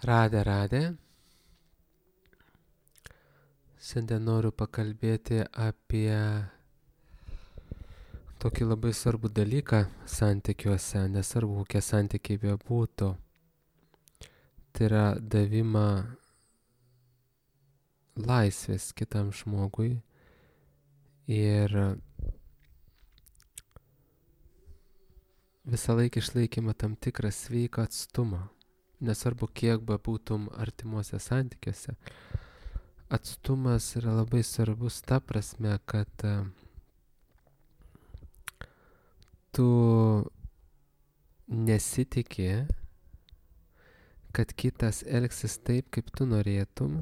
Radė. Šiandien noriu pakalbėti apie tokį labai svarbų dalyką santykiuose, nesvarbu kokie santykiai bebūtų. Tai yra davimą laisvės kitam žmogui ir visą laiką išlaikymą tam tikrą sveiką atstumą. Nesvarbu kiek bebūtum artimuose santykiuose. Atstumas yra labai svarbus ta prasme, kad tu nesitikė, kad kitas elgsis taip, kaip tu norėtum,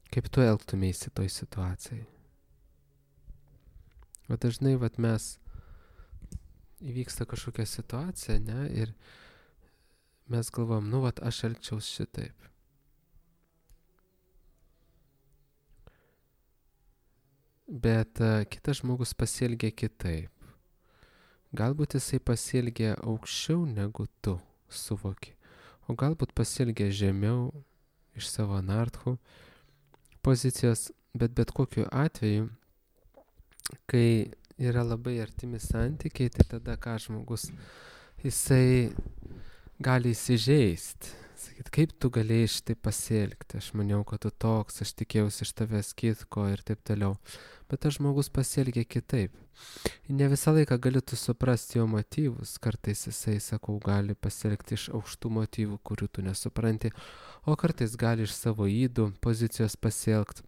kaip tu elgtumėsi toj situacijai. O dažnai mes įvyksta kažkokia situacija, ne, ir mes galvom, aš elgčiaus šitaip. Bet kitas žmogus pasielgia kitaip. Galbūt jisai pasielgia aukščiau negu tu suvoki, o galbūt pasielgia žemiau iš savo anarchų pozicijos, bet kokiu atveju, kai yra labai artimi santykiai, tai tada ką žmogus, jisai gali įsižeisti. Sakyt, kaip tu galėjai šitai pasielgti, aš maniau, kad tu toks, aš tikėjausi iš tavęs kitko ir taip toliau. Bet tas žmogus pasielgia kitaip. Ne visą laiką gali tu suprasti jo motyvus, kartais jisai, sakau, gali pasielgti iš aukštų motyvų, kurių tu nesupranti, o kartais gali iš savo ydų pozicijos pasielgti.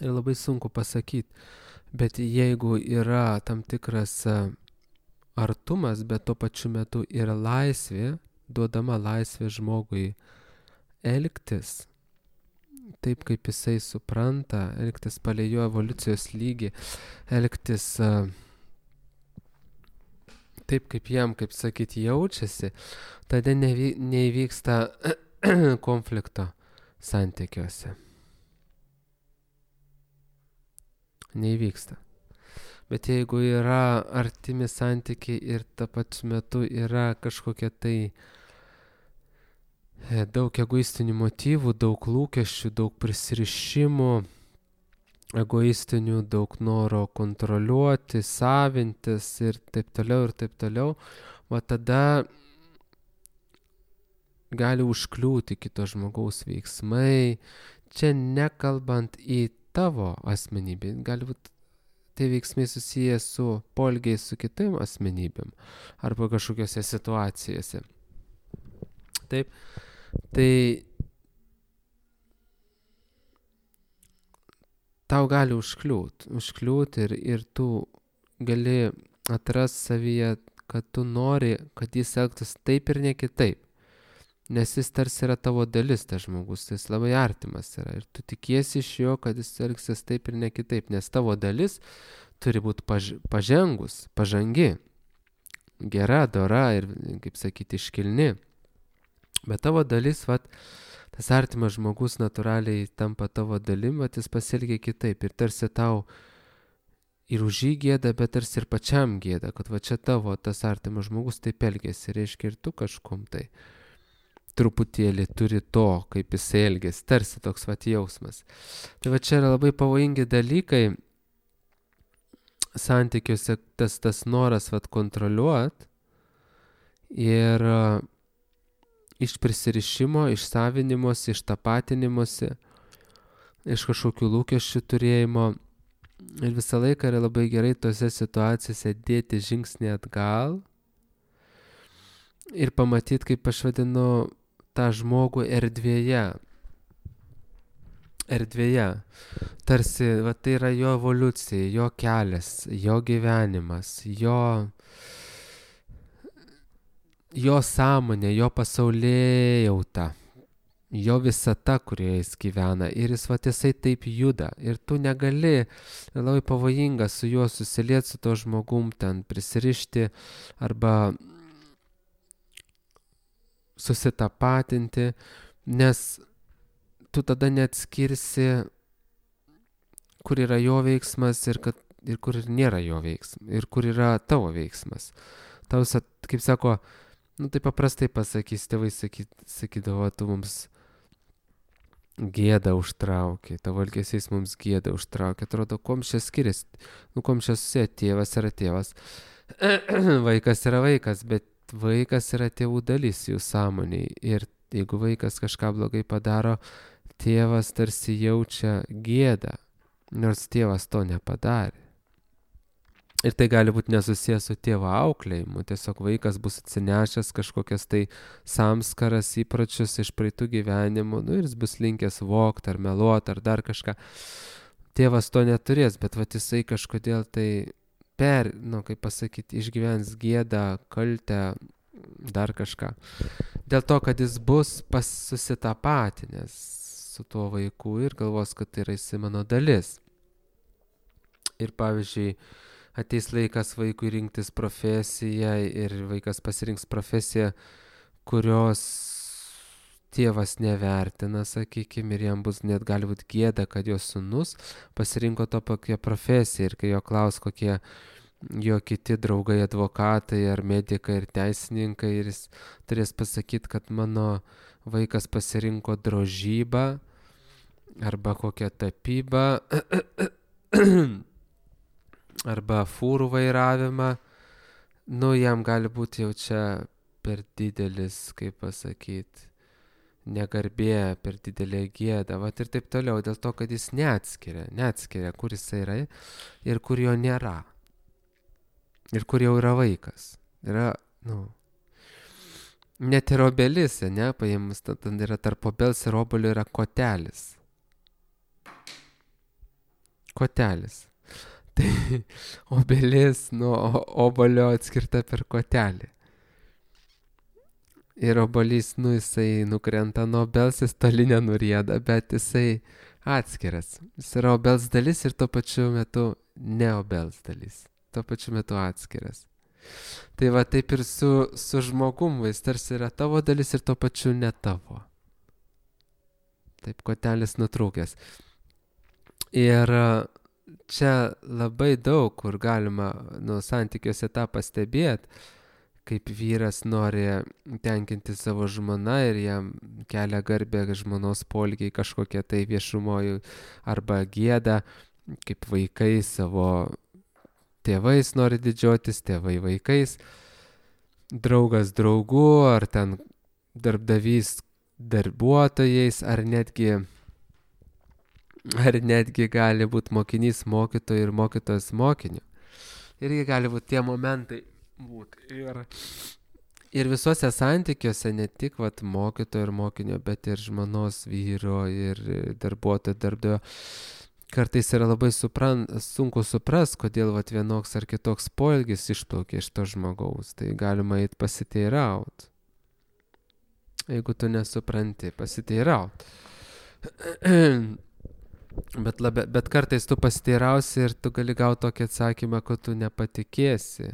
Ir labai sunku pasakyti, bet jeigu yra tam tikras artumas, bet tuo pačiu metu yra laisvė, duodama laisvė žmogui elgtis taip, kaip jisai supranta, elgtis palei jo evoliucijos lygį, elgtis taip, kaip jam, kaip sakyti, jaučiasi, tada neįvyksta konflikto santykiuose. Neįvyksta. Bet jeigu yra artimi santykiai ir ta pačiu metu yra kažkokia tai daug egoistinių motyvų, daug lūkesčių, daug prisirišimų, egoistinių, daug noro kontroliuoti, savintis ir taip toliau, va tada gali užkliūti kito žmogaus veiksmai, čia nekalbant į tavo asmenybę, gali būti tie veiksmai susiję su poelgiais su kitam asmenybėm arba kažkokiose situacijose. Taip, tai tau gali užkliūti ir tu gali atrasti savyje, kad tu nori, kad jis elgtųsi taip ir ne kitaip. Nes jis tarsi yra tavo dalis, tas žmogus, jis labai artimas yra ir tu tikiesi iš jo, kad jis elgsis taip ir ne kitaip, nes tavo dalis turi būti pažangi, gera, dora ir, kaip sakyti, iškilni. Bet tavo dalis, tas artimas žmogus natūraliai tampa tavo dalim, jis pasielgia kitaip ir tarsi tau ir už jį gėda, bet tarsi ir pačiam gėda, kad čia tavo tas artimas žmogus taip elgiasi, reiškia ir tu kažkum tai truputėlį turi to, kaip jis elgiasi, tarsi toks jausmas. Tai čia yra labai pavojingi dalykai santykiuose, tas noras kontroliuoti ir iš prisirišimo, iš savinimosi, iš tapatinimusi, iš kažkokių lūkesčių turėjimo. Ir visą laiką yra labai gerai tose situacijose dėti žingsnį atgal ir pamatyti, kaip aš vadinu, tą žmogų erdvėje. Tarsi, tai yra jo evoliucija, jo kelias, jo gyvenimas, jo sąmonė, jo pasaulėjauta, jo visata, kurioje jis gyvena. Ir jisai taip juda. Ir tu negali, labai pavojinga su juo susilieti, su to žmogum ten prisirišti arba susitapatinti, nes tu tada neatskirsi, kur yra jo veiksmas ir kur nėra jo veiksmas, ir kur yra tavo veiksmas. Tau, kaip sako, Nu, tai paprastai pasakys, tėvai sakydavo, tu mums gėdą užtraukė, tavo elgesys mums gėdą užtraukė. Atrodo, kuom čia skiriasi, nu, kuom čia susiję, tėvas yra tėvas, vaikas yra vaikas, bet vaikas yra tėvų dalis jų sąmoniai. Ir jeigu vaikas kažką blogai padaro, tėvas tarsi jaučia gėdą, nors tėvas to nepadarė. Ir tai gali būti nesusijęs su tėvo auklėjimu, tiesiog vaikas bus atsinešęs kažkokias tai samskaras įpročius iš praeitų gyvenimų, nu ir jis bus linkęs vogti ar meluoti ar dar kažką. Tėvas to neturės, bet vat jisai kažkodėl tai kaip pasakyti, išgyvens gėdą, kaltę, dar kažką. Dėl to, kad jis bus susitapatinęs su tuo vaiku ir galvos, kad tai yra jisai mano dalis. Ir pavyzdžiui, ateis laikas vaikui rinktis profesiją ir vaikas pasirinks profesiją, kurios tėvas nevertina, sakykime, ir jam bus net gali būti gėda, kad jo sūnus pasirinko tokią profesiją ir kai jo klaus, kokie jo kiti draugai, advokatai ar medikai ir teisininkai, ir jis turės pasakyti, kad mano vaikas pasirinko drožybą arba kokią tapybą arba fūrų vairavimą, nu jam gali būti jau čia per didelis, kaip pasakyti, negarbė, per didelė gėda, vat ir taip toliau, dėl to, kad jis neatskiria, kur jis yra ir kur jo nėra. Ir kur jau yra vaikas. Yra, net ir obelis, paėmus, ten yra tarp obels ir obolio yra kotelis. Kotelis. Tai obelis nuo obolio atskirta per kotelį. Ir obolys, jisai nukrenta nuo obels, jis toli nenurieda, bet jisai atskiras. Jis yra obels dalis ir tuo pačiu metu ne obels dalis. Tuo pačiu metu atskiras. Tai va taip ir su žmogum, jis tarsi yra tavo dalis ir tuo pačiu ne tavo. Taip kotelis nutrūkęs. Ir čia labai daug, kur galima santykiuose tą pastebėti, kaip vyras nori tenkinti savo žmoną ir jam kelia garbę žmonos poelgiai kažkokie tai viešumoj arba gėda, kaip vaikai savo tėvais nori didžiuotis, tėvai vaikais, draugas draugu, ar ten darbdavys darbuotojais, ar netgi gali būti mokinys mokytojų ir mokytojas mokiniu. Irgi gali būti tie momentai būti. Ir visuose santykiuose, ne tik mokytojo ir mokinio, bet ir žmonos, vyro ir darbuotojo, darbdavio, kartais yra labai sunku supras, kodėl vienoks ar kitoks poelgis išplaukia iš to žmogaus. Tai galima eit pasiteiraut. Jeigu tu nesupranti, pasiteiraut. Bet kartais tu pasiteirausi ir tu gali gauti tokį atsakymą, kad tu nepatikėsi,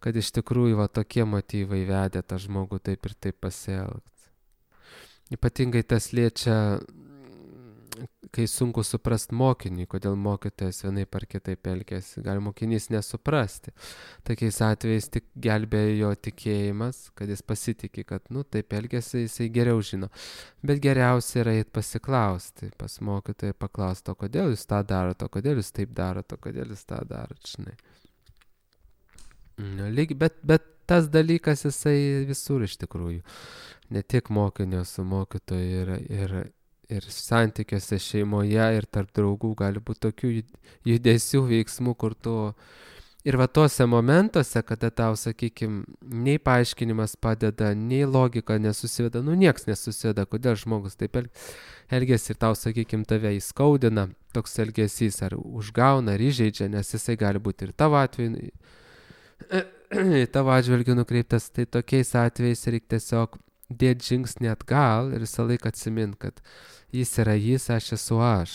kad iš tikrųjų tokie motyvai vedė tą žmogų taip ir taip pasielgti. Ypatingai tas liečia, kai sunku suprast mokinį, kodėl mokytojas vienaip ar kitaip elgiasi. Gali mokinys nesuprasti. Tokiais atvejais tik gelbėja jo tikėjimas, kad jis pasitikė, kad taip elgiasi, jisai geriau žino. Bet geriausia yra eit pasiklausti pas mokytoją, paklausti, o kodėl jūs tą darot, o kodėl jūs taip darot, o kodėl jūs tą darot, žinai. Bet tas dalykas jisai visur iš tikrųjų. Ne tik mokinio su mokytoju ir santykiuose šeimoje ir tarp draugų gali būti tokių judesių, veiksmų, kur tu ir tuose momentuose, kada tau, sakykime, nei paaiškinimas padeda, nei logika nesusiveda, nieks nesusiveda, kodėl žmogus taip elgiasi ir tau, sakykime, tave įskaudina, toks elgesys ar užgauna, ar įžeidžia, nes jisai gali būti ir tavo atveju, tavo atžvilgiu nukreiptas, tai tokiais atvejais reikia tiesiog dėti žingsnį atgal ir visą laiką atsimint, kad jis yra jis, aš esu aš.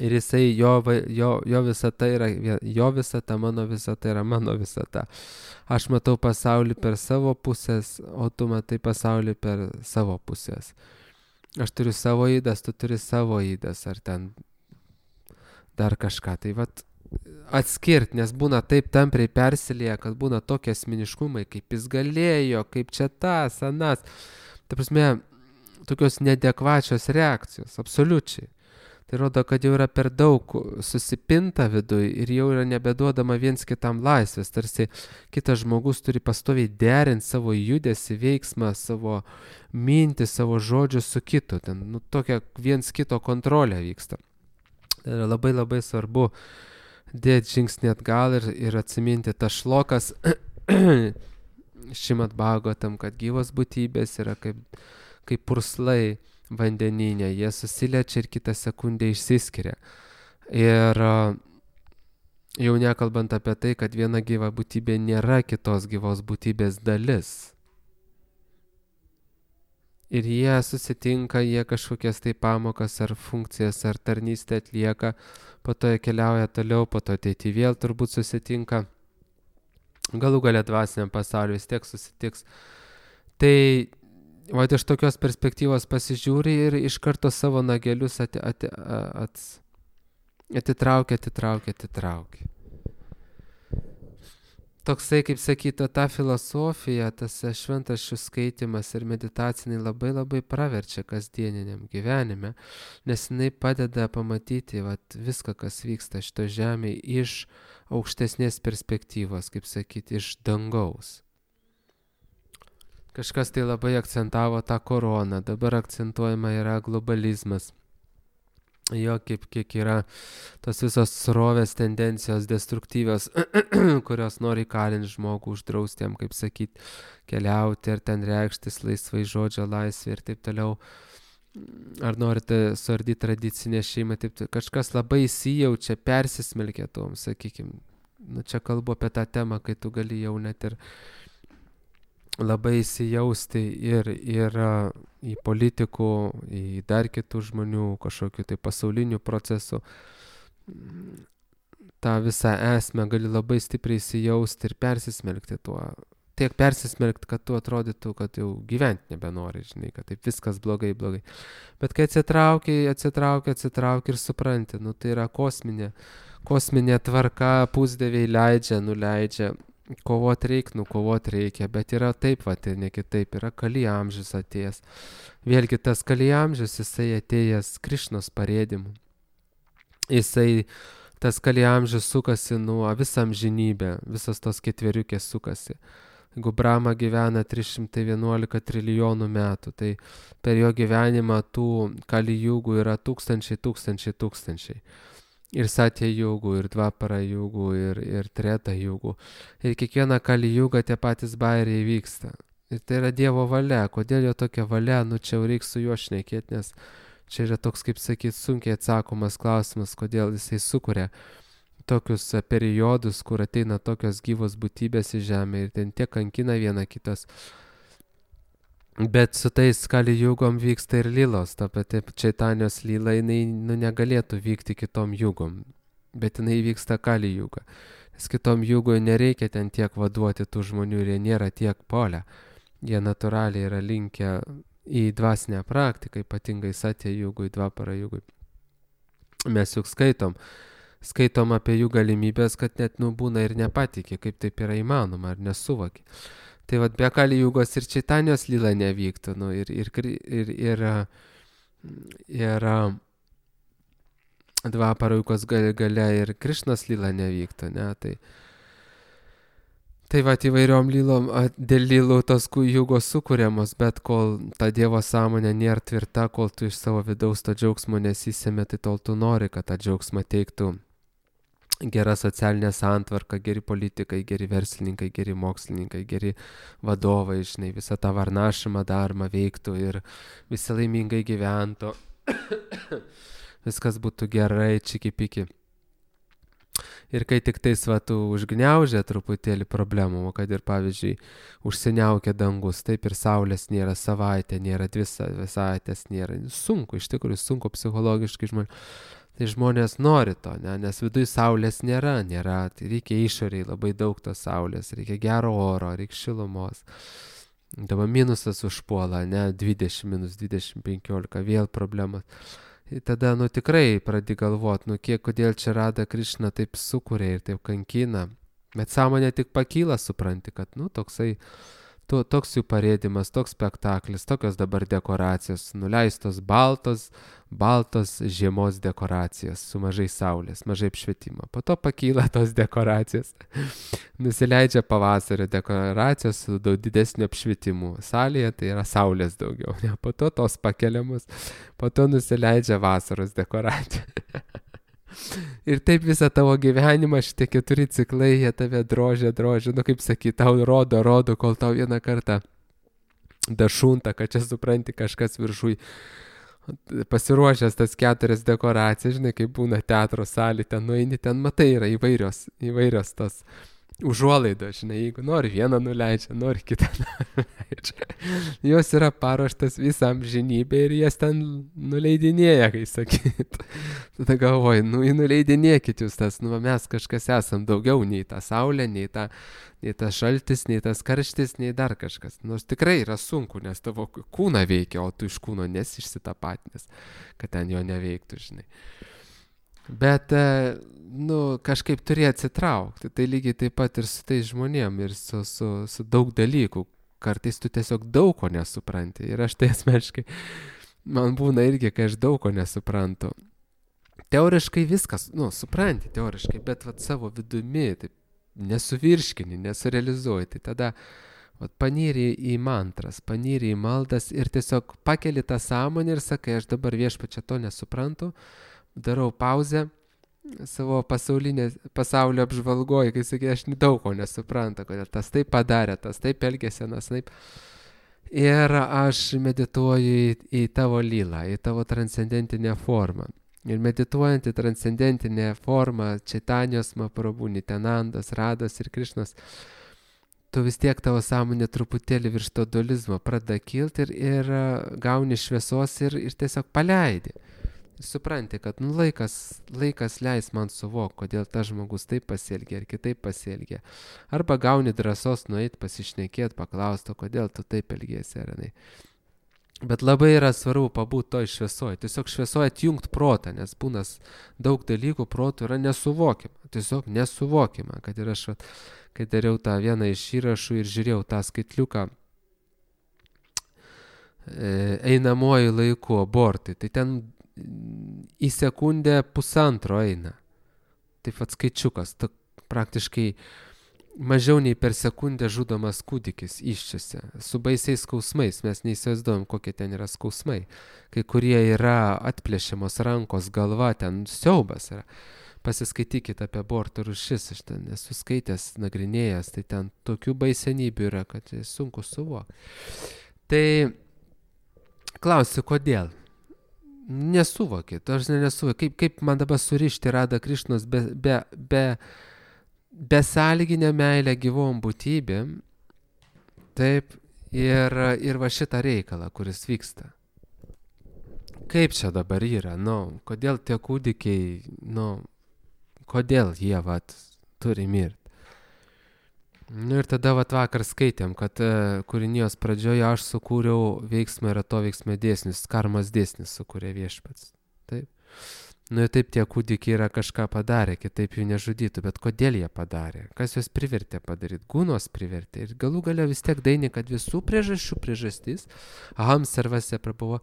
Ir jisai, jo visata yra jo visata, mano visata yra mano visata. Aš matau pasaulį per savo pusės, o tu matai pasaulį per savo pusės. Aš turiu savo ydas, tu turi savo ydas, ar ten dar kažką. Tai atskirti, nes būna taip tampriai persilieja, kad būna tokie asmeniškumai, kaip jis galėjo, kaip čia tas, anas. Ta prasme, tokios neadekvačios reakcijos, absoliučiai. Tai rodo, kad jau yra per daug susipinta viduj ir jau yra nebeduodama viens kitam laisvės. Tarsi kitas žmogus turi pastoviai derinti savo judesį, veiksmą, savo mintį, savo žodžius su kitu. Ten tokia viens kito kontrolė vyksta. Tai yra labai labai svarbu dėti žingsnį atgal ir atsiminti tas šlokas Šrimad Bhagavatam, kad gyvos būtybės yra kaip purslai vandeninė, jie susiliečia ir kitą sekundę išsiskiria. Ir jau nekalbant apie tai, kad viena gyva būtybė nėra kitos gyvos būtybės dalis. Ir jie susitinka, jie kažkokias tai pamokas ar funkcijas ar tarnystę atlieka, po to jie keliauja toliau, po to ateity vėl turbūt susitinka. Galų gale dvasiniam pasauliu vis tiek susitiks. Tai o iš tokios perspektyvos pasižiūri ir iš karto savo nagelius atitraukia. Toksai, kaip sakyta, ta filosofija, tas šventraščių skaitimas ir meditaciniai labai labai praverčia kasdieniniam gyvenime, nes jinai padeda pamatyti viską, kas vyksta šito žemėje iš aukštesnės perspektyvos, kaip sakyti, iš dangaus. Kažkas tai labai akcentavo tą koroną, dabar akcentuojama yra globalizmas. Jo, kiek yra tos visos srovės tendencijos destruktyvios, kurios nori įkalinti žmogų, uždrausti jam, kaip sakyti, keliauti ir ten reikštis laisvai, žodžio laisvė ir taip toliau. Ar norite suardyti tradicinę šeimą, taip kažkas labai įsijaučia, persismelkia tom, sakykime. Čia kalbu apie tą temą, kai tu gali jau net ir labai įsijausti ir į politikų, į dar kitų žmonių, kažkokių tai pasaulinių procesų. tą visą esmę gali labai stipriai įsijausti ir persismelkti tuo. Tiek persismelkti, kad tu atrodytų, kad jau gyventi nebenori, žinai, kad taip viskas blogai. Bet kai atsitrauki ir supranti, tai yra kosminė tvarka, pusdieviai nuleidžia, kovot reikia, bet yra taip, ir ne kitaip, yra Kali amžius atėjęs. Vėlgi tas Kali amžius, jisai atėjęs Krišnos parėdimu. Tas Kali amžius sukasi nuo visą amžinybę, visas tos ketveriukės sukasi. Jeigu Brahma gyvena 311 trilijonų metų, tai per jo gyvenimą tų Kali jūgų yra tūkstančiai. Ir Satya jūgų, ir Dvapara jūgų, ir Treta jūgų. Ir kiekvieną Kali jūgą tie patys bairiai vyksta. Ir tai yra Dievo valia. Kodėl jo tokia valia? Čia jau reiks su juo šnekėti, nes čia yra toks, kaip sakyt, sunkiai atsakomas klausimas, kodėl jisai sukuria tokius periodus, kur ateina tokios gyvos būtybės į žemę ir ten tiek kankina viena kitas. Bet su tais Kali jūgom vyksta ir lylos, ta pati Čaitanijos lyla, jinai negalėtų vykti kitom jūgom, bet jinai vyksta Kali jūga. Nes kitom jūgoj nereikia ten tiek vaduoti tų žmonių ir jie nėra tiek polę. Jie natūraliai yra linkę į dvasinę praktiką, ypatingai Satya jūgui, Dvapara jūgui. Mes juk skaitom apie jų galimybės, kad net būna ir nepatikė, kaip taip yra įmanoma, ar nesuvokė. Tai be Kali jūgos ir Čaitanijos lyla nevyktų, ir Dvapara jūgos gale ir Krišnos lyla nevyktų, ne? Tai įvairiom lylom, dėl lylų tos jūgos sukūriamos, bet kol ta Dievo sąmonė nėra tvirta, kol tu iš savo vidaus to džiaugsmo nesisėmė, tai tol tu nori, kad tą džiaugsmą teiktų gera socialinė santvarka, geri politikai, geri verslininkai, geri mokslininkai, geri vadovai, žinai, visą tą varnašimą darbą veiktų ir visi laimingai gyventų. Viskas būtų gerai, čiki-piki. Ir kai tik tais tu užgniaužia truputėlį problemų, kad ir pavyzdžiui užsiniaukia dangus, taip ir saulės nėra savaitę, nėra 2 savaitės, nėra. Sunku, iš tikrųjų sunku psichologiškai žmonės. Tai žmonės nori to, ne? Nes viduj saulės nėra, tai reikia išoriai labai daug tos saulės, reikia gero oro, reikia šilumos. Dabar minusas užpuola, ne, 20, -20, 15, vėl problemas. Ir tada, tikrai pradedi galvot, kodėl čia Rada Krišna taip sukuria ir taip kankina. Bet sąmonė tik pakyla, supranti, kad, toks jų parėdimas, toks spektaklis, tokios dabar dekoracijos, nuleistos baltos žiemos dekoracijos su mažai saulės, mažai apšvietimo. Po to pakyla tos dekoracijos, nusileidžia pavasario dekoracijos su daug didesniu apšvietimu. Salėje tai yra saulės daugiau, ne? Po to tos pakeliamos, po to nusileidžia vasaros dekoracija. Ir taip visą tavo gyvenimą, šitie 4 ciklai, jie tave drožia, kaip sakyt, tau rodo, kol tau vieną kartą dašunta, kad čia supranti kažkas viršui pasiruošęs tas 4 dekoracijas, žinai, kaip būna teatro salė, ten nueini, ten matai, yra įvairios tos užuolaidos, žinai, jeigu nori vieną nuleidžia, nori kitą nuleidžia. Jos yra paruoštas visam žinybė ir jas ten nuleidinėja, kai sakyt. Tada galvoju, nuleidinėkit jūs tas, mes kažkas esam daugiau nei ta saulė, nei tas šaltis, nei tas karštis, nei dar kažkas. Nors tikrai yra sunku, nes tavo kūną veikia, o tu iš kūno nesi išsitapatinęs, kad ten jo neveiktų, žinai. Bet, kažkaip turi atsitraukti. Tai lygiai taip pat ir su tais žmonėm ir su daug dalykų. Kartais tu tiesiog daug ko nesupranti. Ir aš tai asmeniškai, man būna irgi, kai aš daug ko nesuprantu. Teoriškai viskas, supranti teoriškai, bet savo vidumi taip nesuvirškini, nesurealizuoji. Tai tada panyri į mantras, panyri į maldas ir tiesiog pakeli tą sąmonę ir sakai, aš dabar viešpačia to nesuprantu. Darau pauzę savo pasaulio apžvalgoje, kai sakai, aš daug ko nesuprantu, kodėl tas taip padarė, tas taip elgėsi, tas taip. Ir aš medituoju į tavo lylą, į tavo transcendentinę formą. Ir medituojant į transcendentinę formą, Čaitanijos Mahaprabhu, Nityanandos, Rados ir Krišnos, tu vis tiek tavo sąmonė truputėlį virš to dualizmo pradeda kilti ir gauni šviesos ir tiesiog paleidi. Supranti, kad laikas leis man suvokti, kodėl tas žmogus taip pasielgia ir kitaip pasielgia. Arba gauni drąsos nueiti, pasišnekėti, paklausti, kodėl tu taip elgiesi, ar ne. Bet labai yra svarbu pabūti toj šviesoje. Tiesiog šviesoje atjungti protą, nes būna daug dalykų protų yra nesuvokima. Tiesiog nesuvokima, kad ir aš, kai dariau tą vieną iš įrašų ir žiūrėjau tą skaitliuką einamuoju laiku abortai, tai ten į sekundę 1,5 eina. Taip skaičiukas, praktiškai mažiau nei per sekundę žudomas kūdikis iščiose, su baisiais skausmais, mes neįsivaizduojam, kokie ten yra skausmai. Kai kurie yra atplėšiamos rankos, galva, ten siaubas yra. Pasiskaitykit apie abortų rūšis, aš ten esu skaitęs, nagrinėjęs, tai ten tokių baisenybių yra, kad sunku suvokti. Tai klausiu, kodėl? Nesuvokit, aš nesuvokit, kaip man dabar surišti Rada Krišnos besąlyginę meilę gyvom būtybėm, taip, ir va šitą reikalą, kuris vyksta. Kaip čia dabar yra, kodėl tie kūdikiai, kodėl jie, turi mirti. Ir tada vakar skaitėm, kad kūrinijos pradžioje aš sukūriau veiksmą ir atoveiksmą dėsnis, karmos dėsnis sukūrė viešpats. Taip. Ir taip tie kūdikiai yra kažką padarę, kitaip jų nežudytų, bet kodėl jie padarė? Kas juos privertė padaryti? Gūnos privertė. Ir galų galia vis tiek daini, kad visų priežastis, aham sarvasya prabhuva,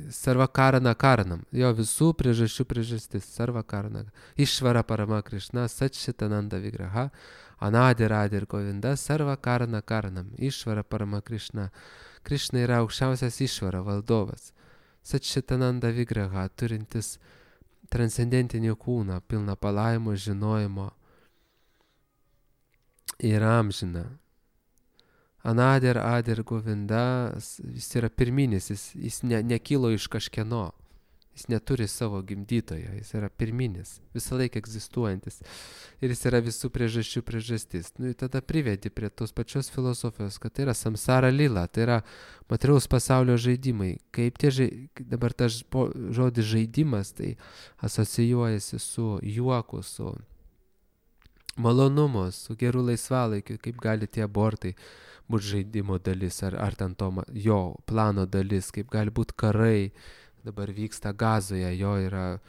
sarva karana karanam, jo visų priežastis, sarva karana, išvara parama Krišna, Satčitananda Vigraha, Anadi Radha ir Govinda, sarva karana karanam, išvara parama Krišna. Krišna yra aukščiausias išvara, valdovas. Satčitananda Vigraha, turintis transcendentinį kūną, pilną palaimų, žinojimo ir amžiną. Anadir, Adir, Govinda, jis yra pirminis, jis nekilo iš kažkieno, jis neturi savo gimdytojo, jis yra pirminis, visą laiką egzistuojantis ir jis yra visų priežastis. Ir tada privedi prie tos pačios filosofijos, kad tai yra samsara lila, tai yra materiaus pasaulio žaidimai. Kaip dabar tas žodis žaidimas, tai asocijuojasi su juoku, su malonumu, su geru laisvalaikiu, kaip gali tie abortai būti žaidimo dalis, ar ten jo plano dalis, kaip gali būti karai, dabar vyksta Gazoje, jo yra,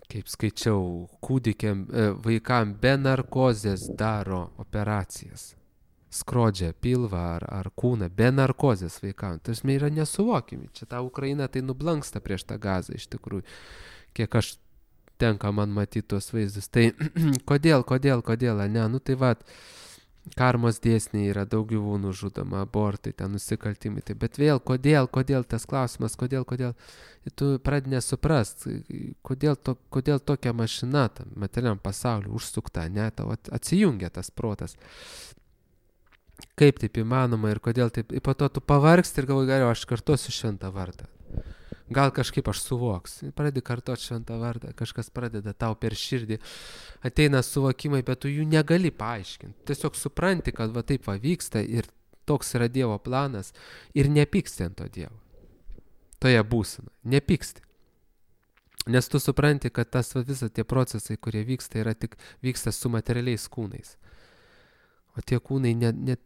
kaip skaičiau, kūdikiam, vaikam be narkozės daro operacijas. Skrodžia pilvą ar kūną be narkozės vaikams. Tas yra nesuvokimi. Čia ta Ukraina tai nublanksta prieš tą Gazą iš tikrųjų. Kiek aš tenka man matyti tuos vaizdus. Tai kodėl, ne? Nu tai vat, karmos dėsniai yra, daug gyvūnų žudoma, abortai, ten nusikaltimai. Tai, bet vėl, kodėl tas klausimas, kodėl? Ir tu pradedi nesuprast, kodėl tokia mašina tam materialiam pasauliu užsukta, ne? Tau atsijungia tas protas. Kaip taip įmanoma ir kodėl taip. Ir po to tu pavargsti ir galvoji, gerai, aš kartosiu šventą vardą. Gal kažkaip aš suvoksiu. Pradedi kartoti šventą vardą, kažkas pradeda tau per širdį. Ateina suvokimai, bet tu jų negali paaiškinti. Tiesiog supranti, kad va taip va vyksta ir toks yra Dievo planas ir nepyksti ant to Dievo. Toje būsena. Nepyksti. Nes tu supranti, kad tas visą tie procesai, kurie vyksta, vyksta su materialiais kūnais. O tie kūnai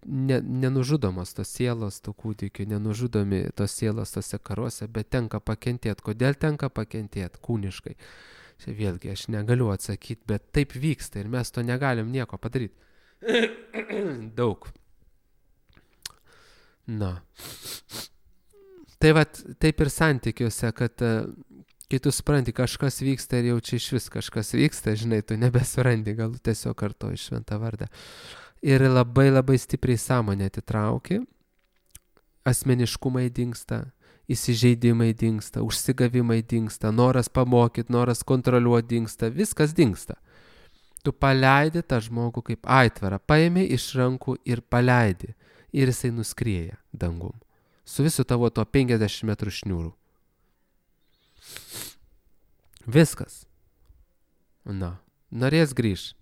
nenužudomos tos sielos, tų kūdikių, nenužudomi tos sielos tose karuose, bet tenka pakentėti. Kodėl tenka pakentėti kūniškai? Čia vėlgi aš negaliu atsakyti, bet taip vyksta ir mes to negalim nieko padaryti. Daug. Na. Tai vat, taip ir santykiuose, kad kai tu supranti, kažkas vyksta ir jau čia iš vis kažkas vyksta, žinai, tu nebesurandi, gal tiesiog kartoji šventą vardą. Ir labai labai stipriai sąmonę atitrauki, asmeniškumai dingsta, įsižeidimai dingsta, užsigavimai dingsta, noras pamokyti, noras kontroliuoti dingsta, viskas dingsta. Tu paleidi tą žmogų kaip aitvarą, paimi iš rankų ir paleidi. Ir jisai nuskrieja dangum. Su visu tavo to 50 metrų šniūrų. Viskas. Na, norės grįž.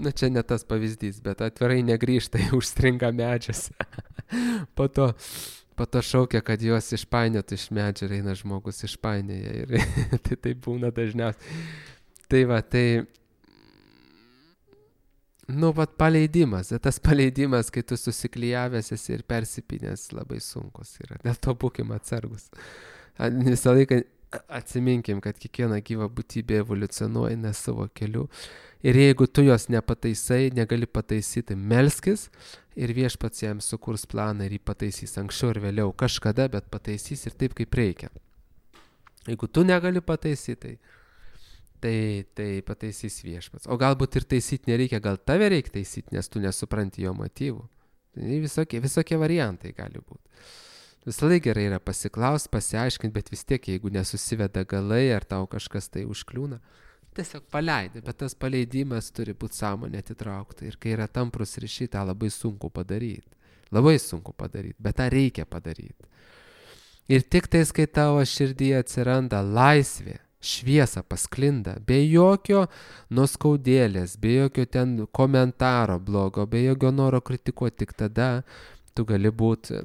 Nu, čia ne tas pavyzdys, bet atvirai negrįžta, užstringa medžiuose. Po to šaukia, kad juos išpainiotų iš medžio ir eina žmogus išpainėja. Ir tai būna dažniausiai. Tai va, nu, vat paleidimas. Tas paleidimas, kai tu susiklijavęs esi ir persipinęs, labai sunkus yra. Dėl to būkim atsargus. Visą laiką atsiminkim, kad kiekviena gyva būtybė evoliucionuoja ne savo keliu. Ir jeigu tu jos nepataisai, negali pataisyti, melskis ir Viešpats jam sukurs planą ir jį pataisys anksčiau ir vėliau kažkada, bet pataisys ir taip, kaip reikia. Jeigu tu negali pataisyti, tai pataisys Viešpats. O galbūt ir taisyti nereikia, gal tave reikia taisyti, nes tu nesupranti jo motyvų. Tai visokie variantai gali būti. Visą laiką gerai yra pasiklausti, pasiaiškinti, bet vis tiek, jeigu nesusiveda galai ar tau kažkas tai užkliūna, tiesiog paleidi, bet tas paleidimas turi būti sąmonė atitraukta. Ir kai yra tamprus ryšiai, tą labai sunku padaryti. Labai sunku padaryti, bet tą reikia padaryti. Ir tik tais, kai tavo širdyje atsiranda laisvė, šviesa pasklinda, be jokio nuskaudėlės, be jokio ten komentaro blogo, be jokio noro kritikuoti, tik tada tu gali būti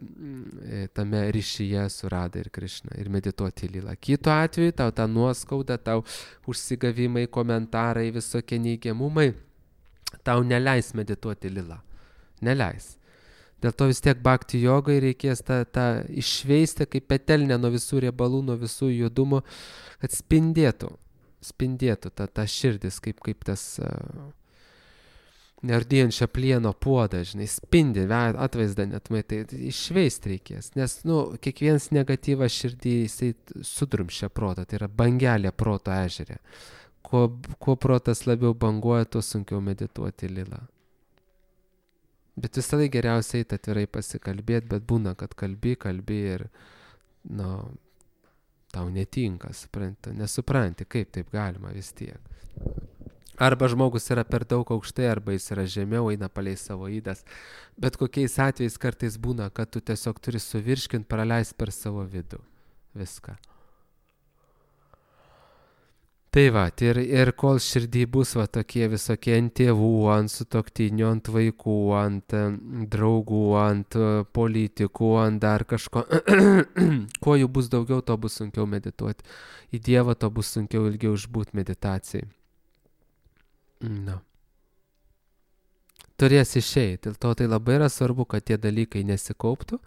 tame ryšyje su Rada ir Krišna ir medituoti lilą. Kitu atveju tau tą nuoskaudą, tau užsigavimai, komentarai, visokie neigiamumai, tau neleis medituoti lilą. Neleis. Dėl to vis tiek bhakti jogai reikės tą išveisti kaip petelnę nuo visų riebalų, nuo visų judumo, kad spindėtų ta širdis, kaip tas neardyjančią plieno puodą, žinai, spindi, atvaizdą net matai, išveisti reikės, nes, kiekvienas negatyvas širdį, jisai sudrumšia protą, tai yra bangelė proto ežere. Kuo protas labiau banguoja, tuo sunkiau medituoti lilą. Bet visą laiką geriausiai atvirai pasikalbėti, bet būna, kad kalbi ir, tau netinka, nesupranti, kaip taip galima vis tiek. Arba žmogus yra per daug aukštai, arba jis yra žemiau, eina palei savo ydas. Bet kokiais atvejais kartais būna, kad tu tiesiog turi suvirškinti, praleisti per savo vidų. Viską. Tai va, ir kol širdį bus tokie visokie ant tėvų, ant sutuoktinių, ant vaikų, ant draugų, ant politikų, ant dar kažko, kuo jų bus daugiau, to bus sunkiau medituoti. Į Dievą to bus sunkiau ilgiau išbūti meditacijai. turės išeiti. Dėl to tai labai yra svarbu, kad tie dalykai nesikauptų.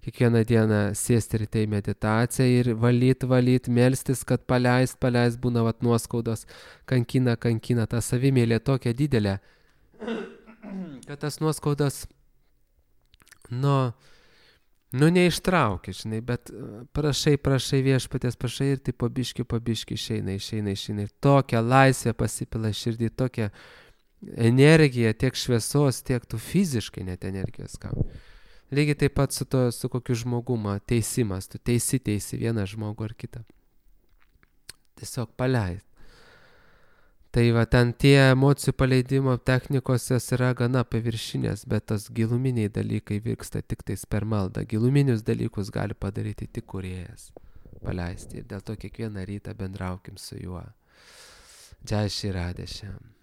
Kiekvieną dieną sėsti ryte į meditaciją ir valyt, melstis, kad paleist, būna vat nuoskaudos, kankina, ta savimėlė tokia didelė, kad tas nuoskaudas, neištraukia, žinai, bet prašai Viešpaties, prašai ir tai po biškį išeina. Ir tokia laisvė pasipila širdį, tokia energija, tiek šviesos, tiek tu fiziškai net energijos gauni. Lygiai taip pat su kokiu žmogumo teisimas, tu teisi vieną žmogų ar kitą. Tiesiog paleist. Tai va, ten tie emocijų paleidimo technikos jos yra gana paviršinės, bet tas giluminiai dalykai vyksta tik tais per maldą. Giluminius dalykus gali padaryti tik Kūrėjas. Paleisti. Ir dėl to kiekvieną rytą bendraukim su juo. Jai Shri Radhe Shyam.